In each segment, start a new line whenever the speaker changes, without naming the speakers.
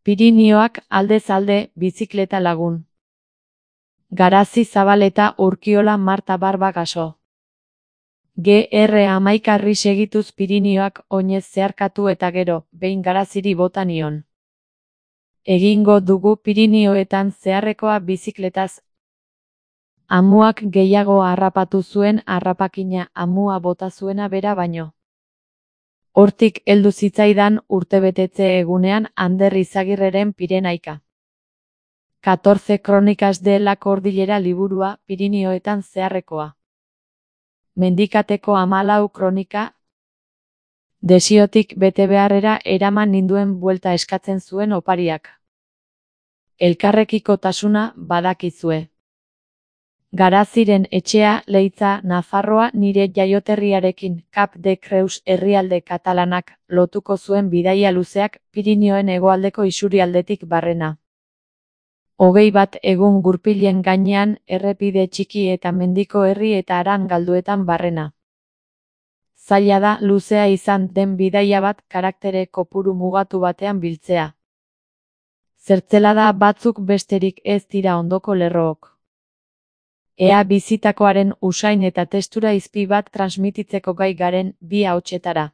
Pirinioak aldez alde, bizikleta lagun. Garazi Zabaleta Urkiola Marta Barba Gaso. GR11 segituz Pirinioak oinez zeharkatu eta gero, behin Garaziri bota nion. Egingo dugu Pirinioetan zeharrekoa bizikletaz. Amuak gehiago harrapatu zuen harrapakina amua bota zuena bera baino. Hortik heldu zitzaidan urtebetetze egunean Ander Izagirreren Pirenaika. 14 Crónicas de la Cordillera liburua Pirinioetan zeharrekoa. Mendikateko 14 kronika. Desiotik bete beharrera eraman ninduen buelta eskatzen zuen opariak. Elkarrekikotasuna badakizue. Garaziren etxea Leitza Nafarroa nire jaioterriarekin Cap de Creus herrialde katalanak lotuko zuen bidaia luzeak Pirinioen hegoaldeko isurialdetik barrena. 21 egun gurpilen gainean errepide txiki eta mendiko herri eta haran galduetan barrena. Zaila da luzea izan den bidaia bat karaktere kopuru mugatu batean biltzea. Zertzelada batzuk besterik ez dira ondoko lerrook. Ea bizitakoaren usain eta testura izpi bat transmititzeko gai garen bi ahotsetara.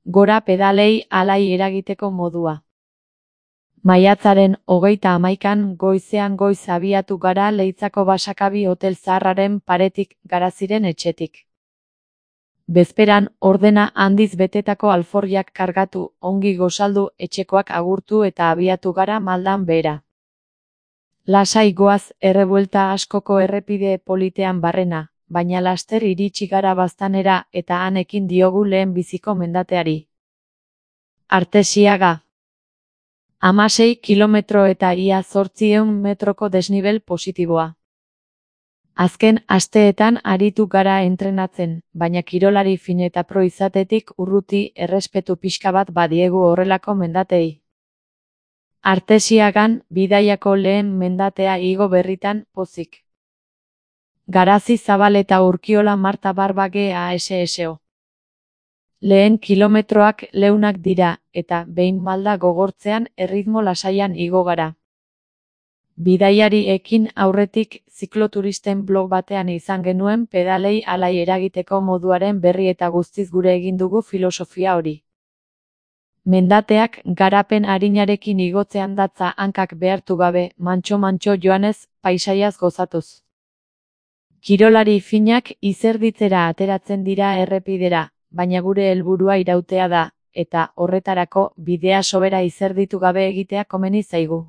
Gora pedalei alai eragiteko modua. Maiatzaren 31 goizean goiz abiatu gara Leitzako Basakabi hotel zaharraren paretik Garaziren etxetik. Bezperan ordena handiz betetako alforriak kargatu, ongi gozaldu, etxekoak agurtu eta abiatu gara maldan behera. Lasai goaz errebuelta askoko errepide politean barrena, baina laster iritsi gara Baztanera eta han ekin diogu lehen biziko mendateari. Artesiaga. 16 kilometro eta ia 800 metroko desnibel positiboa. Azken asteetan aritu gara entrenatzen, baina kirolari fin eta pro izatetik urruti errespetu pixka bat badiegu horrelako mendatei. Artesiagan bidaiako lehen mendatea igo berritan pozik. Garazi Zabaleta Urkiola Marta Barba GASSO. Lehen kilometroak leunak dira, eta behin malda gogortzean erritmo lasaian igo gara. Bidaiari ekin aurretik zikloturisten blog batean izan genuen pedalei alai eragiteko moduaren berri eta guztiz gure egin dugu filosofia hori. Mendateak garapen arinarekin igotzean datza hankak behartu gabe, mantxo-mantxo joanez, paisaiaz gozatuz. Kirolari finak izerditzera ateratzen dira errepidera, baina gure helburua irautea da, eta horretarako bidea sobera izerditu gabe egitea komeni zaigu.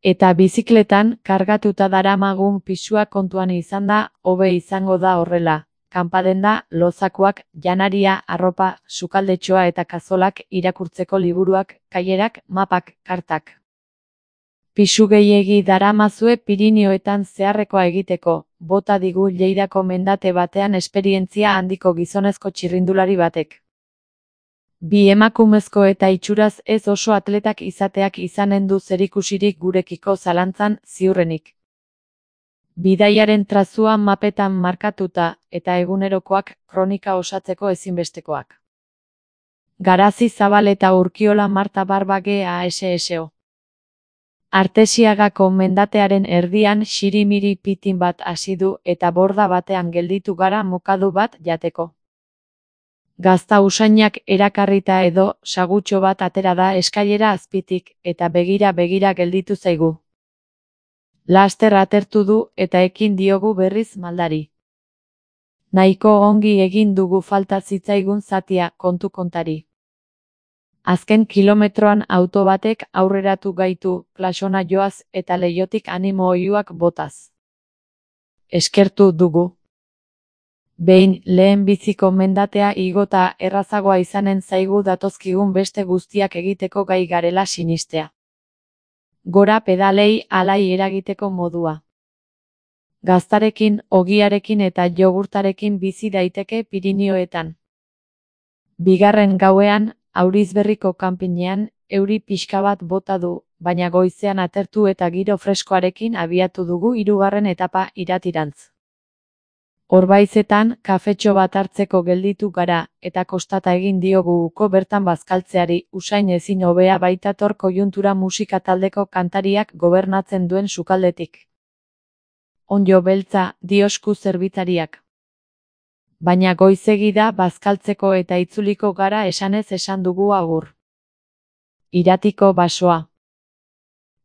Eta bizikletan kargatuta daramagun pisua kontuan izan da, hobe izango da horrela. Kanpadenda, lozakuak, janaria, arropa, sukaldetxoa eta kazolak, irakurtzeko liburuak, kailerak, mapak, kartak. Pisu gehiegi daramazue Pirinioetan zeharrekoa egiteko, bota digu Lleidako mendate batean esperientzia handiko gizonezko txirrindulari batek. Bi emakumezko eta itxuraz ez oso atletak izateak izanen du zerikusirik gurekiko zalantzan ziurrenik. Bidaiaren trazua mapetan markatuta eta egunerokoak kronika osatzeko ezinbestekoak. Garazi Zabaleta Urkiola Marta Barba GASSO. Artesiagako mendatearen erdian xirimiri pitin bat hasi du eta borda batean gelditu gara mokadu bat jateko. Gazta usainak erakarrita edo sagutxo bat atera da eskailera azpitik eta begira gelditu zaigu. Laster atertu du eta ekin diogu berriz maldari. Nahiko ongi egin dugu falta zitzaigun zatia kontu kontari. Azken kilometroan auto batek aurreratu gaitu plasona joaz eta leihotik animo oihuak botaz. Eskertu dugu. Behin lehen biziko mendatea igota errazagoa izanen zaigu datozkigun beste guztiak egiteko gai garela sinistea. Gora pedalei alai eragiteko modua. Gaztarekin, ogiarekin eta jogurtarekin bizi daiteke Pirinioetan. Bigarren gauean, Aurizberriko kanpinean, euri pixka bat bota du, baina goizean atertu eta giro freskoarekin abiatu dugu hirugarren etapa iratirantz. Orbaizetan kafetxo bat hartzeko gelditu gara, eta kostata egin diogu uko bertan bazkaltzeari, usain ezin hobea baitator koiuntura musika taldeko kantariak gobernatzen duen sukaldetik. Onjo beltza, diosku zerbitzariak. Baina goizegi da bazkaltzeko eta itzuliko gara esanez esan dugu agur. Iratiko basoa.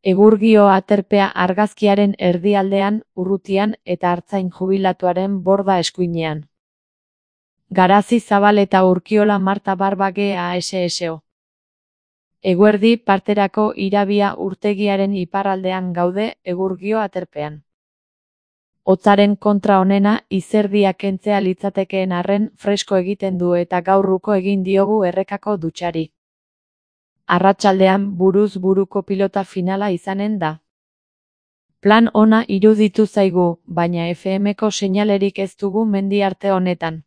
Egurgio aterpea argazkiaren erdialdean, urrutian eta artzain jubilatuaren borda eskuinean. Garazi Zabal eta Urkiola Marta Barbage ASSO. Eguerdi parterako Irabia urtegiaren iparraldean gaude Egurgio aterpean. Hotzaren kontra onena izerdia kentzea litzatekeen arren fresko egiten du eta gaurruko egin diogu errekako dutxari. Arratsaldean buruz buruko pilota finala izanen da. Plan ona iruditu zaigu, baina FM-ko seinalerik ez dugu mendi arte honetan.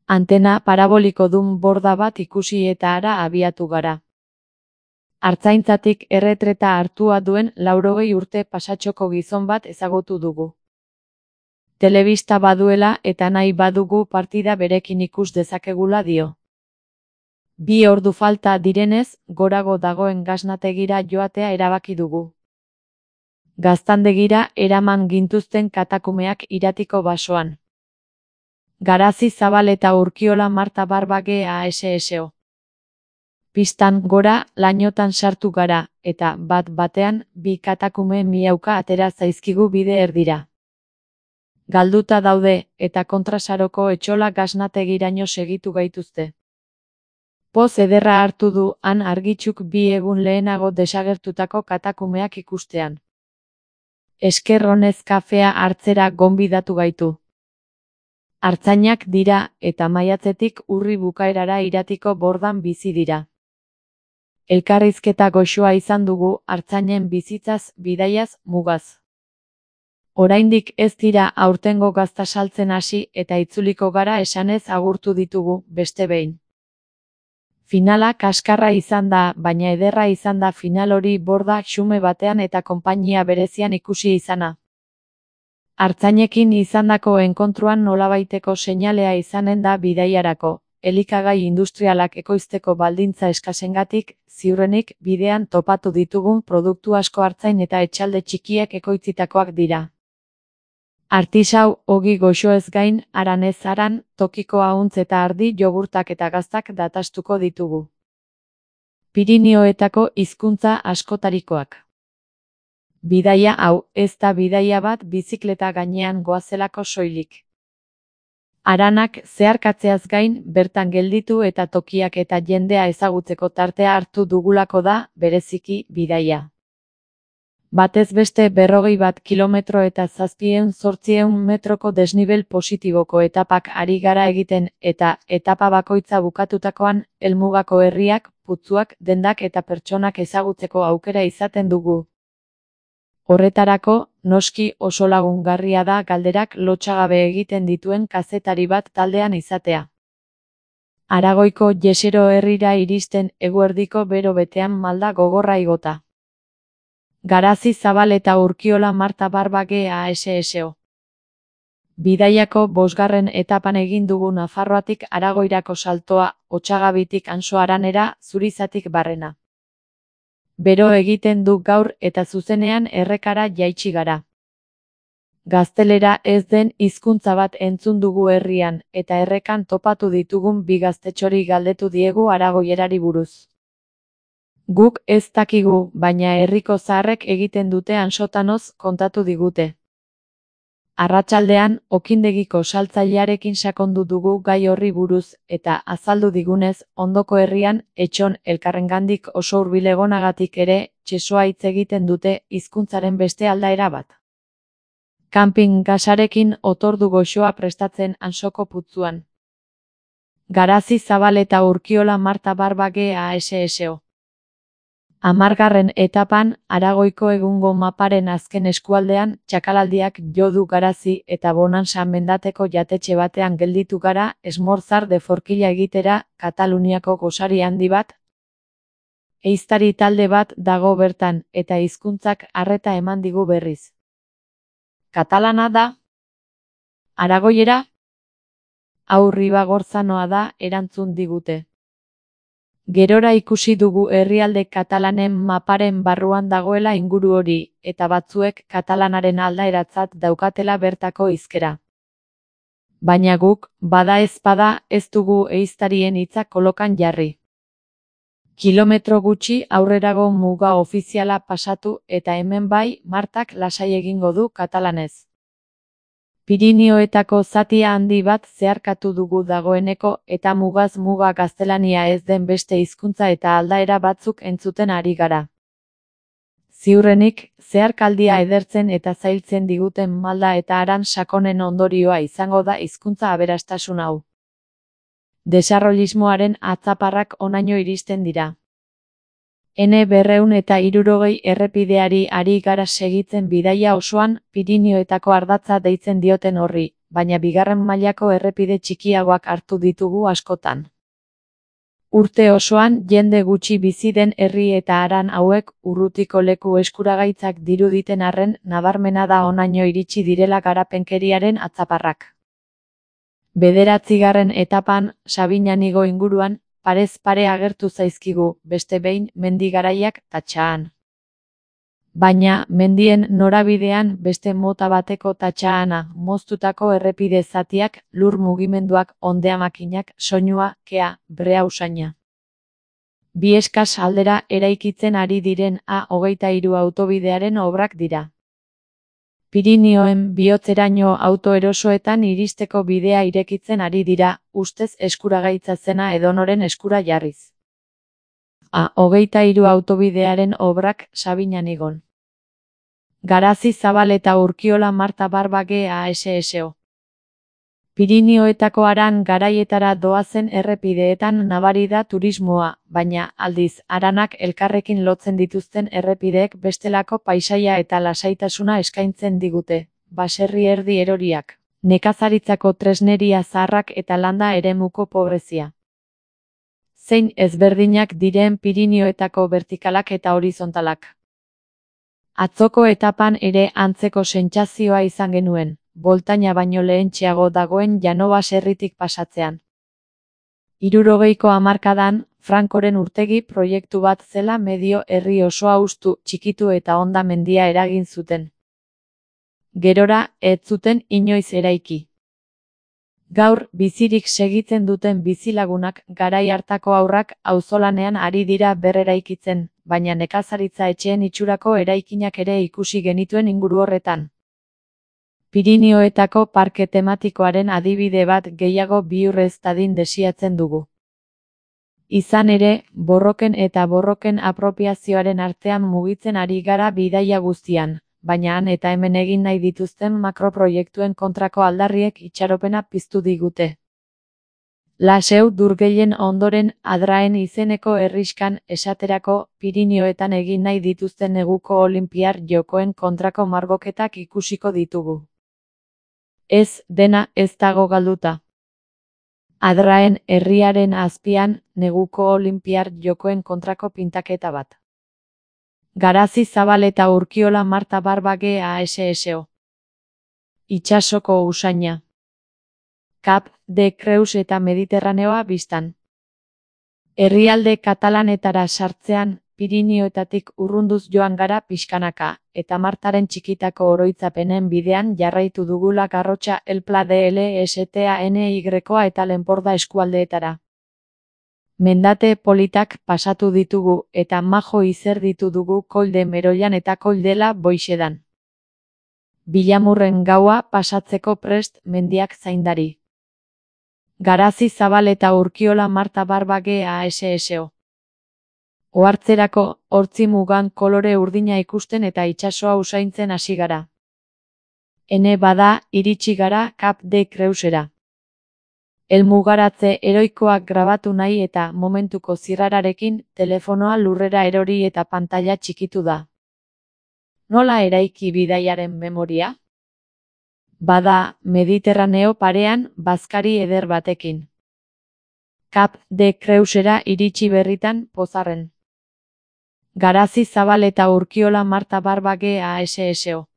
Antena paraboliko dun borda bat ikusi eta ara abiatu gara. Artzaintzatik erretreta hartua duen 80 urte pasatxoko gizon bat ezagutu dugu. Telebista baduela eta nahi badugu partida berekin ikus dezakegula dio. 2 ordu falta direnez, gorago dagoen gasnategira joatea erabaki dugu. Gaztandegira eraman gintuzten katakumeak Iratiko basoan. Garazi Zabal eta Urkiola Marta Barbage ASSO. Pistan gora lainotan sartu gara, eta bat-batean 2 katakume miauka atera zaizkigu bide erdira. Galduta daude, eta kontrasaroko etxola gasnategiraino segitu gaituzte. Poz ederra hartu du han argitxuk 2 egun lehenago desagertutako katakumeak ikustean. Esker honez kafea hartzera gonbidatu gaitu. Artzainak dira eta maiatzetik urri bukaerara Iratiko bordan bizi dira. Elkarrizketa goxoa izan dugu artzainen bizitzaz, bidaiaz, mugaz. Oraindik ez dira aurtengo gazta saltzen hasi eta itzuliko gara esanez agurtu ditugu, beste behin. Finala kaskarra izan da, baina ederra izan da final hori borda xume batean eta konpainia berezian ikusi izana. Artzainekin izandako enkontruan nolabaiteko seinalea izanen da bidaiarako, elikagai industrialak ekoizteko baldintza eskasengatik, ziurrenik bidean topatu ditugun produktu asko artzain eta etxalde txikiek ekoitzitakoak dira. Artisau, ogi goxoez gain, aranez aran, tokiko ahuntz eta ardi jogurtak eta gaztak datastuko ditugu. Pirinioetako hizkuntza askotarikoak. Bidaia hau, ez da bidaia bat bizikleta gainean goazelako soilik. Aranak zeharkatzeaz gain, bertan gelditu eta tokiak eta jendea ezagutzeko tartea hartu dugulako da, bereziki, bidaia. Batez beste 41 kilometro eta 700 metroko desnibel positiboko etapak ari gara egiten eta etapa bakoitza bukatutakoan, helmugako herriak, putzuak, dendak eta pertsonak ezagutzeko aukera izaten dugu. Horretarako, noski oso lagungarria da galderak lotsagabe egiten dituen kazetari bat taldean izatea. Aragoiko Jesero herrira iristen eguerdiko bero betean malda gogorra igota. Garazi Zabal eta Urkiola Marta Barbage ASSO. Bidaiako 5. etapan egin dugu Nafarroatik Aragoirako saltoa, Otsagabitik Ansoaranera, Zurizatik barrena. Bero egiten du gaur eta zuzenean errekara jaitsi gara. Gaztelera ez den hizkuntza bat entzun dugu herrian, eta errekan topatu ditugun 2 gaztetxori galdetu diegu aragoierari buruz. Guk ez dakigu, baina herriko zaharrek egiten dute Ansotanoz kontatu digute. Arratsaldean, okindegiko saltzailearekin sakondu dugu gai horri buruz, eta azaldu digunez, ondoko herrian, etxon elkarrengandik oso hurbil egonagatik ere, txesoa hitz egiten dute hizkuntzaren beste aldaera bat. Camping gasarekin otordu goxoa prestatzen Ansoko putzuan. Garazi Zabal eta Urkiola Marta Barbage ASSO. 10. etapan, Aragoiko egungo maparen azken eskualdean, txakalaldiak jo du Garazi eta Bonansa mendateko jatetxe batean gelditu gara, Esmorzar de Forquilla egitera, Kataluniako gosari handi bat. Ehiztari talde bat dago bertan, eta hizkuntzak arreta eman digu berriz. Katalana da? Aragoiera? Hau Ribagorzanoa da, erantzun digute. Gerora ikusi dugu herrialde katalanen maparen barruan dagoela inguru hori, eta batzuek katalanaren aldaeratzat daukatela bertako hizkera. Baina guk, bada ezpada, ez dugu ehiztarien hitzak kolokan jarri. Kilometro gutxi aurrerago muga ofiziala pasatu eta hemen bai, Martak lasai egingo du katalanez. Pirinioetako zatia handi bat zeharkatu dugu dagoeneko eta mugaz muga gaztelania ez den beste hizkuntza eta aldaera batzuk entzuten ari gara. Ziurrenik, zeharkaldia edertzen eta zailtzen diguten malda eta haran sakonen ondorioa izango da hizkuntza aberastasun hau. Desarrollismoaren atzaparrak honaino iristen dira. N260 errepideari ari gara segitzen bidaia osoan, Pirinioetako ardatza deitzen dioten horri, baina bigarren mailako errepide txikiagoak hartu ditugu askotan. Urte osoan jende gutxi bizi den herri eta haran hauek urrutiko leku eskuragaitzak diruditen arren nabarmena da honaino iritsi direla garapenkeriaren atzaparrak. 9. etapan, Sabinanigo inguruan, parez pare agertu zaizkigu, beste behin, mendi garaiak Tatxaan. Baina, mendien norabidean beste mota bateko Tatxaana, moztutako errepide zatiak, lur mugimenduak, ondeamakinak, soinua, kea, brea usaina. Bi eskas aldera eraikitzen ari diren A23 autobidearen obrak dira. Pirinioen bihotzeraino autoerosoetan iristeko bidea irekitzen ari dira, ustez eskuragaitza zena edonoren eskura jarriz. A23 autobidearen obrak Sabinanigon. Garazi Zabal eta Urkiola Marta Barbage ASSO. Pirinioetako haran garaietara doazen errepideetan nabari da turismoa, baina, aldiz, haranak elkarrekin lotzen dituzten errepideek bestelako paisaia eta lasaitasuna eskaintzen digute, baserri erdi eroriak, nekazaritzako tresneria zaharrak eta landa eremuko pobrezia. Zein ezberdinak diren Pirinioetako vertikalak eta horizontalak. Atzoko etapan ere antzeko sentsazioa izan genuen. Boltaina baino lehentxeago dagoen Llano baserritik pasatzean. 60ko hamarkadan, Francoren urtegi proiektu bat zela medio herri osoa hustu, txikitu eta honda mendia eragin zuten. Gerora, ez zuten inoiz eraiki. Gaur, bizirik segitzen duten bizilagunak, garai hartako haurrak, auzolanean ari dira berreraikitzen, baina nekazaritza etxeen itxurako eraikinak ere ikusi genituen inguru horretan. Pirinioetako parke tematikoaren adibide bat gehiago bihur ez dadin desiatzen dugu. Izan ere, borroken eta borroken apropiazioaren artean mugitzen ari gara bidaia guztian, baina han eta hemen egin nahi dituzten makroproiektuen kontrako aldarriek itxaropena piztu digute. Laseu Durgellen ondoren Adraen izeneko herrixkan esaterako Pirinioetan egin nahi dituzten neguko Olinpiar Jokoen kontrako margoketak ikusiko ditugu. Ez, dena ez dago galduta. Adraen herriaren azpian, neguko Olinpiar Jokoen kontrako pintaketa bat. Garazi Zabal eta Urkiola Marta Barbage ASSO. Itsasoko usaina. Cap de Creus eta Mediterraneoa bistan. Herrialde katalanetara sartzean, Pirinioetatik urrunduz joan gara pixkanaka, eta Martaren txikitako oroitzapenen bidean jarraitu dugula Garrotxa El Pla de LSTANY-a eta Lenporda eskualdeetara. Mendate politak pasatu ditugu eta majo izerditu dugu Kolde Meroian eta Koldela Boixedan. Bilamurren gaua pasatzeko prest mendiak zaindari. Garazi Zabal eta Urkiola Marta Barbage ASSO. Ohartzerako, hortzi mugan kolore urdina ikusten eta itsasoa usaintzen hasi gara. Ene bada, iritsi gara Cap de Creusera. Helmugaratze heroikoak grabatu nahi eta momentuko zirrararekin, telefonoa lurrera erori eta pantaila txikitu da. Nola eraiki bidaiaren memoria? Bada, Mediterraneo parean, bazkari eder batekin. Cap de Creusera iritsi berritan, pozarren. Garazi Zabal eta Urkiola Marta Barbage ASSO.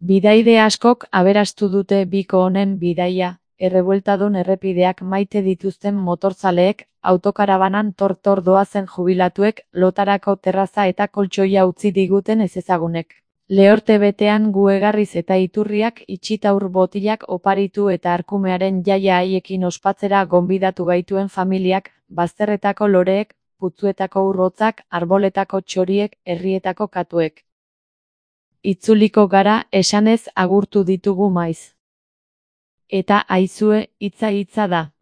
Bidaide askok aberastu dute biko honen bidaia, errebueltadun errepideak maite dituzten motorzaleek, autokarabanan tor-tor doazen jubilatuek, lotarako terraza eta koltsoia utzi diguten ezezagunek. Lehorte betean gu egarriz eta iturriak itxitaur botilak oparitu eta arkumearen jaia haiekin ospatzera gonbidatu gaituen familiak, bazterretako loreek, putzuetako urrotzak, arboletako txoriek, herrietako katuek. Itzuliko gara esanez agurtu ditugu maiz. Eta aizue, hitza da.